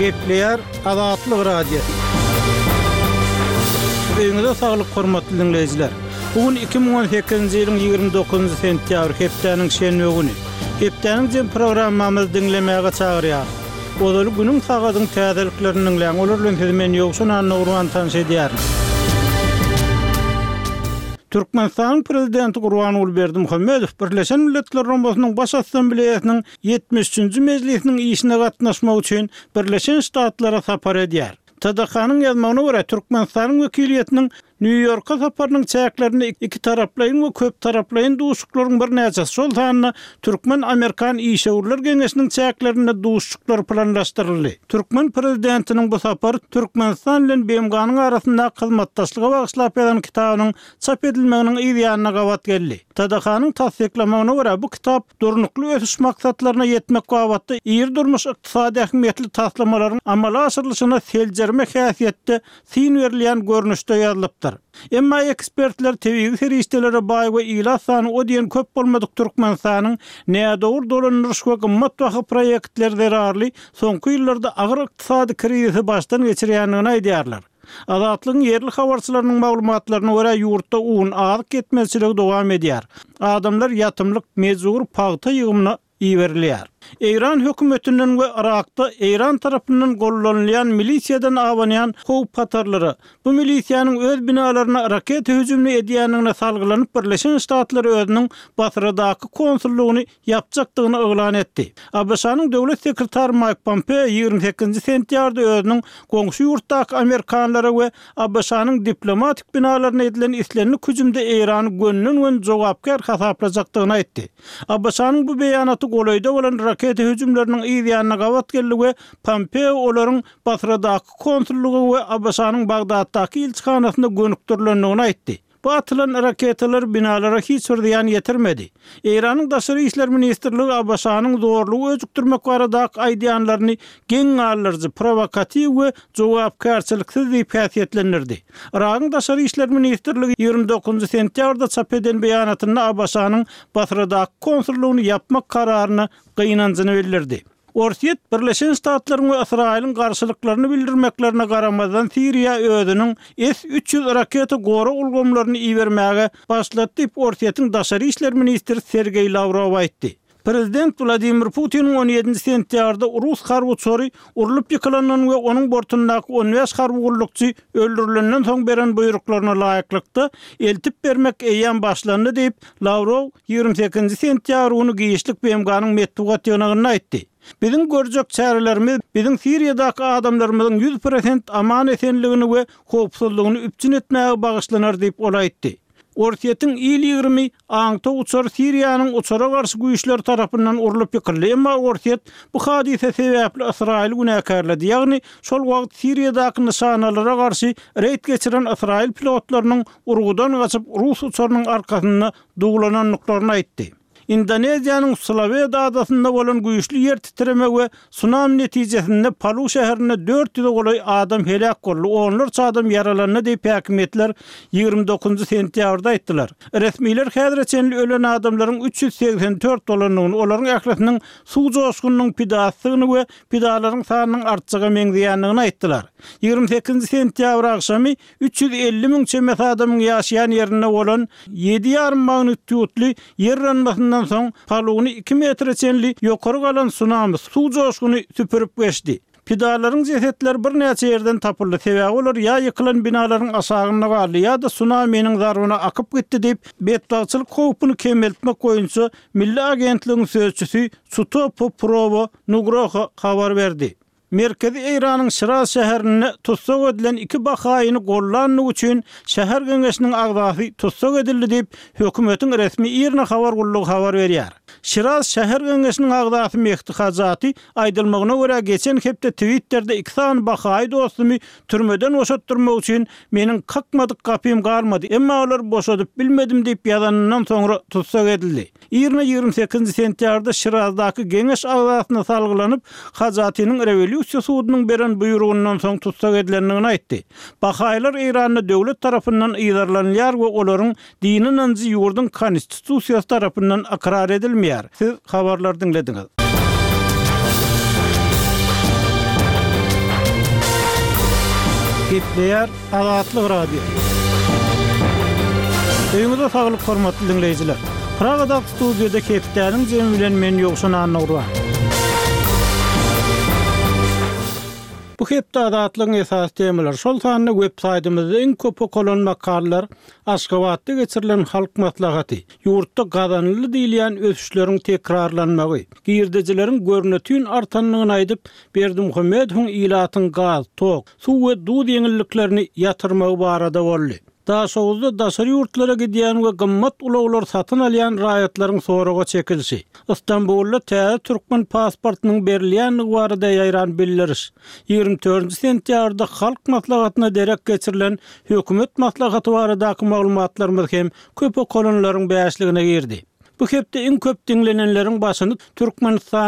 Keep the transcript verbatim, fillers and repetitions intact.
Gepleýär Azatlyk Radiosy. Öýüňize saglyk hormatly diňleýjiler. Bu gün iki müň on sekizinji ýylyň ýigrimi dokuzynjy sentýabr hepdäniň şenbe güni. Hepdäniň jem programmamyzy diňlemäge çagyrýarys. Ozaly günüň sagadyň täzeliklerini diňläň. Olar bilen sizi men Ýowşan Annagurban tanyş edýärin. Türkmenistanyň Prezidenti Gurbanguly Berdimuhamedow Birleşen Milletler Guramasynyň Baş Assambleýasynyň ýetmiş üçünji mejlisiniň işine gatnaşmak üçin Birleşen Ştatlara sapar edýär. T D K-nyň ýazmagyna görä, Türkmenistanyň wekiliýetiniň Nýu-Ýorka saparynyň çäklerinde ikitaraplaýyn we köptaraplaýyn duşuşyklaryň birnäçesi, şol sanda Türkmen-Amerikan işewürler geňeşiniň çäklerinde duşuşyklar planlaşdyryldy. Türkmen prezidentiniň bu sapary Türkmenistan bilen B M G-nyň arasyndaky hyzmatdaşlyga bagyşlap ýazan kitabynyň çap edilmeginiň yz ýanyna gabat geldi. T D K-nyň tassyklamagyna görä, bu kitap durnukly ösüş maksatlaryna ýetmek babatda iri durmuş ykdysady ähmiýetli taslamalaryň amala aşyrylyşyna seljerme häsiýetde syn berilýän görnüşde ýazylypdyr. Emma ekspertler tebigy serişdelere baý we ilat sany o diýen köp bolmadyk Türkmenistanyň nädogry dolandyryş we gymmat baha proýektleri zerarly soňky ýyllarda agyr ykdysady krizisi başdan geçirýändigini aýdýarlar. Azatlygyň ýerli habarçylarynyň maglumatlaryna görä ýurtda un azyk ýetmezçiligi dowam edýär. Adamlar ýatymlyk mejbur pagta ýygymyna iberilýär. Eýran hökümetinden we Irakda Eýran tarapyndan gollanylýan milisiýadan abanýan howp hatarlara, bu milisiýanyň öz binalaryna raketa hüjümini edýändigine salgylanyp Birleşen Ştatlar özüniň Basradaky konsullygyny ýapjakdygyny yglan etdi. A B Ş-nyň döwlet sekretary Mike Pompeo ýigrimi sekizinji sentýabrda özüniň goňşy ýurtdaky Amerikanlara we A B Ş-nyň diplomatik binalaryna edilen islendik hüjümde Eýrany gönden-gön jogapkär hasaplajakdygyny aýtdy. A B Ş-nyň bu beýanaty golaýda bolan raketa hüjümleriniň yz ýanyna gabat geldi we Pompeo olaryň Basradaky konsullygy we A B Ş-nyň Bagdatdaky ilçihanasyna gönükdirilendigini aýtdy. Bu atylan raketalar binalara hiç bir zyýan ýetirmedi. Eýranyň Daşary işler ministrligi A B Ş-nyň zorlugy öjükdirmek baradaky aýdýanlaryny geň galdyryjy, provokatiw we jogapkärçiliksiz diýip häsiýetlendirdi. Iragyň Daşary işler ministrligi ýigrimi dokuzynjy sentýabrda çap eden beýanatynda A B Ş-nyň Basradaky konsullygyny ýapmak kararyna gynanjyny bildirdi. Orsýet Birleşen Ştatlaryň we Ysraýylyň garşylyklaryny bildirmeklerine garamazdan Siriýa özüniň S üç ýüz raketa gorag ulgamlaryny ibermäge başlady diýip Orsýetiň Daşary işler ministri Sergeý Lawrow aýtdy. Prezident Wladimir Putiniň on ýedinji sentýabrda Rus harby uçary urlup ýykylandan we onuň bortundaky on bäş harby gullukçy öldürilenden soň beren buýruklaryna laýyklykda eltip bermek eýýäm başlandy diýip Lawrow ýigrimi sekizinji sentýabr güni giçlik B M G-nyň metbugat ýygnagynda aýtdy. Biziň görjek çärelerimiz biziň Siriýadaky adamlarymyzyň ýüz prosent aman esenligini we howpsuzlygyny üpjün etmäge bagyşlanar diýip ol aýtdy. Orsýetiň il ýigrimi aňtaw uçary Siriýanyň uçara garşy güýçleri tarapyndan urlup ýykyldy, emma Orsýet bu hadysa sebäpli Ysraýyly günäkärledi, ýagny şol wagt Siriýadaky nyşanalara garşy reýd geçiren Ysraýyl pilotlarynyň urgudan gaçyp Rus uçarynyň arkasynda duglanandyklaryny aýtdy. Indoneziýanyň Sulawesi adasynda bolan güýçli ýer titreme we tsunami netijesinde Palu şäherinde dört ýüze golaý adam heläk boldy, onlarça adam ýaralandy diýip häkimiýetler ýigrimi dokuzynjy sentýabrda aýtdylar. Resmiler häzire çenli ölen adamlaryň üç ýüz segsen dört bolandygyny, olaryň ählisiniň suw joşgunynyň pidasydygyny we pidalaryň sanynyň artjaga meňzeýändigini aýtdylar. Ýigrimi sekizinji sentýabr agşamy üç ýüz elli müň çemesi adamyň ýaşaýan ýerinde bolan ýedi ýarym magnitudly ýer yranmasyndan soň Paluny iki metre çenli ýokary galan tsunami suw joşguny süpürip geçdi. Pidalaryň jesetleri birnäçe ýerden tapyldy, sebäbi olar ýa ýykylan binalaryň aşagynda galdy, ýa-da tsunaminiň zarbyna akyp gitdi diýip, betbagtçylyk howpuny kemeltmek boýunça Milli agentligiň sözçüsi Sutopo Purwo Nugroho habar berdi. Merkezi Eýranyň Şiraz şäherinde tussag edilen iki bahaýyny gollandygy üçin şäher geňeşiniň agzasy tussag edildi diýip, hökümetiň resmi IRNA habar gullugy habar berýär. Şiraz şäher geňeşiniň agzasy Mehdi Hajati aýdylmagyna görä geçen hepde Twitterде iki sany bahaýy dostumy türmeden boşatdyrmak üçin meniň kakmadyk gapym galmady, emma olar boşadyp bilmedim diýip ýazanyndan soňra tussag edildi. IRNA ýigrimi sekizinji sentýabrda Şirazdaky geňeş agzasyna salgylanyp, Hajatiniň rewolýusiýa sudunyň beren buýrugyndan soň tussag edilendigini aýtdy. Bahaýylar Eýranda döwlet tarapyndan yzarlanylýar we olaryň dini ynanjy ýurduň konstitusiýasy tarapyndan ykrar edilmeýär. Siz habarlar diňlediňiz. Gepleýär Azatlyk Radiosy. Öýüňize saglyk hormatly diňleýjiler. Pragadaky studiýada hepdäniň jemi bilen men Ýowşan Annagurban. Bu hepde Azatlygyň esasy temalary, şol sanda web saýtymyzda iň köp okalan makalalar, Aşgabatda geçirilen halk maslahaty, ýurtda gazanyldy diýilýän ösüşleriň tekrarlanmagy, girdejileriň görnetin artandygyny aýdyp, Berdimuhamedowyň ilatyň gaz, tok, suw we duz ýeňilliklerini ýatyrmagy barada boldy. Daşoguzda daşary ýurtlara gidýän we gymmat ulaglar satyn alýan raýatlaryň soraga çekilişi, Stambulda täze türkmen pasportynyň berilýändigi barada ýaýran bildiriş, ýigrimi dördünji sentýabrda Halk Maslahatyna derek geçirilen Hökümet maslahaty baradaky maglumatlarymyz hem köp okalanlaryň bäşligine girdi. Bu hepde iň köp diňlenenleriň başyny Türkmenistanda